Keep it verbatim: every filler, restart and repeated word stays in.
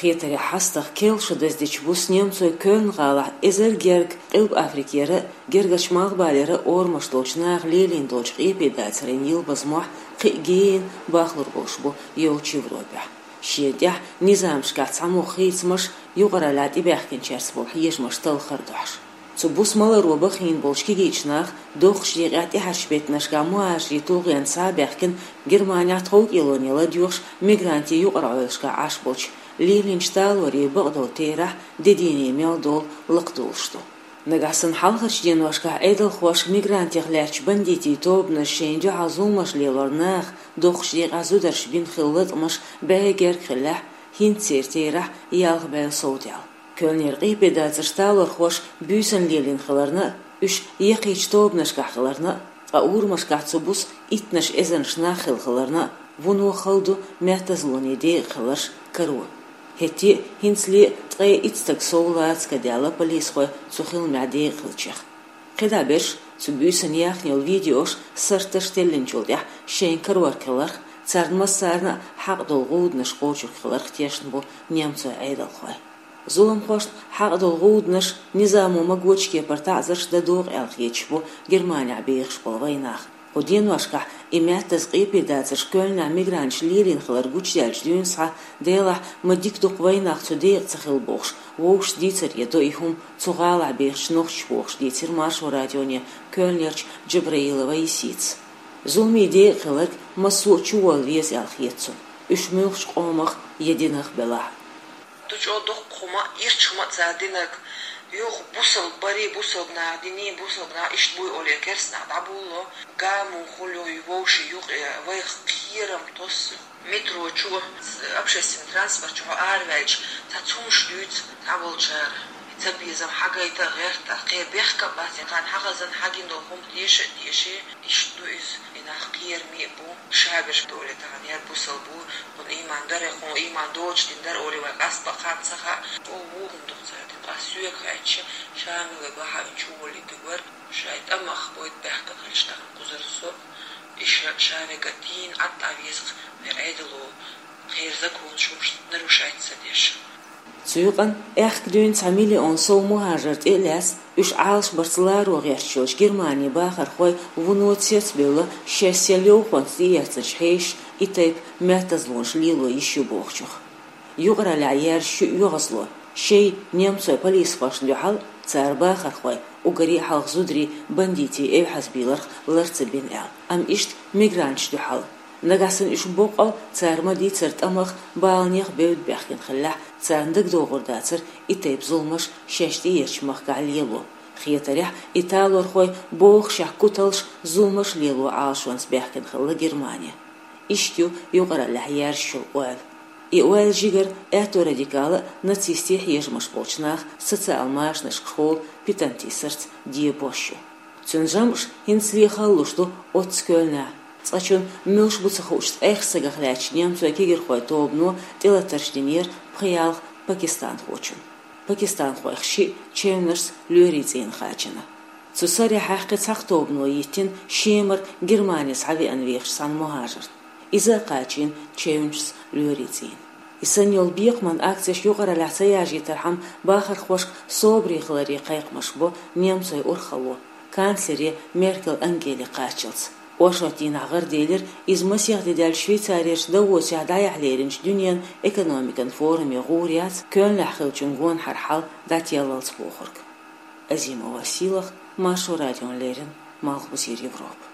Кхетарехь, хьастагӀа керла шо даздечу буса немцойн Кёльн-гӀалахь эзар герга Къилба Африкера а, гергарчу Малхбалера а орамаш долчу наха лелийна долчу къепедацарийн йилбазмохь кхин а гена бахлур болуш бу йолчу Европехь. Шена тӀехь низамашкахь цхьамогӀа хийцамаш, юкъараллехь тӀебаьхкинчаьрца болу хьежамаш талхар дохьуш. Цу буса маларо бахийна болчу кегийчу наха доккхачу декъехь тӀаьхьарчу беттанашкахь мухӀажарийн тулгӀенца схьа а баьхкина, Германехь тховкӀелоне ладоьгӀуш, мигрантийн юкъара Ӏойлашкахь Ӏаш болчу, лелийначу талорийн бакъдолу терахь де дийне мел долу лакхадолуш ду. Нагахь санна хьалхарчу деношкахь Ӏедалхоша мигрантех лаьттачу бандитийн тобанаша шайна дуьхьал зуламаш лелор наха доккхачу декъехь зударша бина хилла латкъамаш бӀе герга хиллехь, хӀинца церан терахь ялх бӀе сов даьлла. Кёльнера къепедацарш талорхоша буьйсанна лелийна хиларна а, уьш яккхийчу тобанашкахь хиларна а, ткъа урамашкахь цу буса иттанаш эзарнаш нах хилла хиларна а, вуно хала ду меттазлонийн декъа хиларш каро. ХӀетте а, хӀинцале а ткъе итт стаг сов лаца ка даьлла полисхойн цу хиламехь декъа хиллачех. КхидӀа берш цу буьйсанна яьхна йолу видеош, сурташ теллинчул тӀаьхьа шайна карор хиларх, царна массарна а хьакъ долу гӀуданаш кхочург хиларх тешна бу немцойн Ӏедалхой. Зуламхошна хьакъ долу гӀуданаш, низамо магочу кепара таӀзарш дан догӀу аьлла хеташ бу Германехь бехаш болу вайнах. Кху деношкахь и меттаза къепедацарш Кёльнехь мигранташа лелийна хилар гучудаьллачу дуьйна схьа, делахь, ма дика дукха вайнах цу декъа ца хилла бохуш, вовшашца дийцаре до и хӀума цу гӀалахь бехачу нохчаша бохуш, дийцира Маршо радионе Кёльнерчу Джабраилова Исица. Зуламийн декъа хиларг массо а чуволла веза аьлла хета цунна, уьш муьлххачу къомах я динах белахь а. Ду чӀогӀа дуккха хӀума, ирча хӀума а цара динарг, юха бусалба барий, бусалба наха диний, бусалба наха иштта буй олий, керстанах дӀабулло, гамун хуьлу и вовшийн юкъе, вайх кхерам тосу. Метро чу, общественный транспорт чу хьо араваьлча, цхьа цунаш дуьйцу цхьаболчара. Цабезам хьагайта а гӀерта а, кхин бехк а бац, и кхарна хьагӀазан хьагина долу хӀума теша а теший, иштта ду иза, и нах кхераме а бу, шаберш долий тахана яр бусалба ву, хӀун ийман дара, хӀун ийман доцуш дина дара олий вай къаста баккхарна ца хаьа, о, ву хӀун ду цара дина, ас соьга хаьттича, ша мила бахьавинчу воллиг вара, шайн тӀамах бойта баьхкина хилча тахана кхузара со, и ша, ша вега дийна Ӏад а веза, вай Ӏедало, кхерза кхунна шумаш нарушать ца деш. Цу юкъана аьхка дуьйна цхьа миллион сов мухӀажар тӀе а лаьцна, уьш Ӏалашбарца ларо гӀерташ йолчу Германин бахархой вуно цецбевлла, шаьш сел йовхонца тӀеэцначу хьешашна и тайпа меттазлонаш лело йиш ю бохучух. Юкъараллехь яьржачу оьгӀазло, шайн немцойн полисхошна дуьхьал а, цара бахархой уггаре а хьалха зударий бандитийн эвхьазбийларх лар ца бина аьлла, амма иштта мигранташна дуьхьал а. Нагахь санна уьш боккъал а цара ма-дийццара тӀамах, баланех бевдда баьхкина хиллехь, царна дагадогӀур дацара и тайпа зуламаш шаьш тӀеэцначу махкахь лело. Хетарехь, и талорхой бохушехь куталш, зуламаш лело Ӏалашонца баьхкина хилла Германи. Иштта ю юкъараллехь яьржачул ойла. И ойла жигара аьтто радикал а, нацистийн хьежамаш болчу наха социал машанашкахула питантисарца дебош ю. Цуьнан жамӀаш хӀинцале халалуш ду оццу Кёльнехь. Цкъачунна муьлш бу ца хуучу ткъех стагах лаьттачу немцойн кегирхойн тобано тӀелатарш динера пхи-ялх пакистанхочунна. Пакистанхойх шиъ чевнашца лоьрийн цӀийне кхачийна. Цу сарахь кхин цхьа тобано йиттина Шемара Германи схьавеана вехаш цхьана мухӀажарна. Иза а кхачийна чевнашца лоьрийн цӀийне. И санна йолу бекхаман акцеш юкъараллехь ца яржийтархьама, бахархошка собаре хиларе кхайкхамаш бо немцойн урхалло, канцлере Меркель Ангеле кхаччалц. Оршот дийнахь гӀараделира иза масех де даьлча Швейцарерчу Давосехь дӀаяхьа леринчу дуьненан экономикан форуме гӀур яц Кёльнехь хиллачун гонахьара хьал дӀателлалц бохург. Азимова Силах, Маршо радиона леррина, Малхбузера Европа.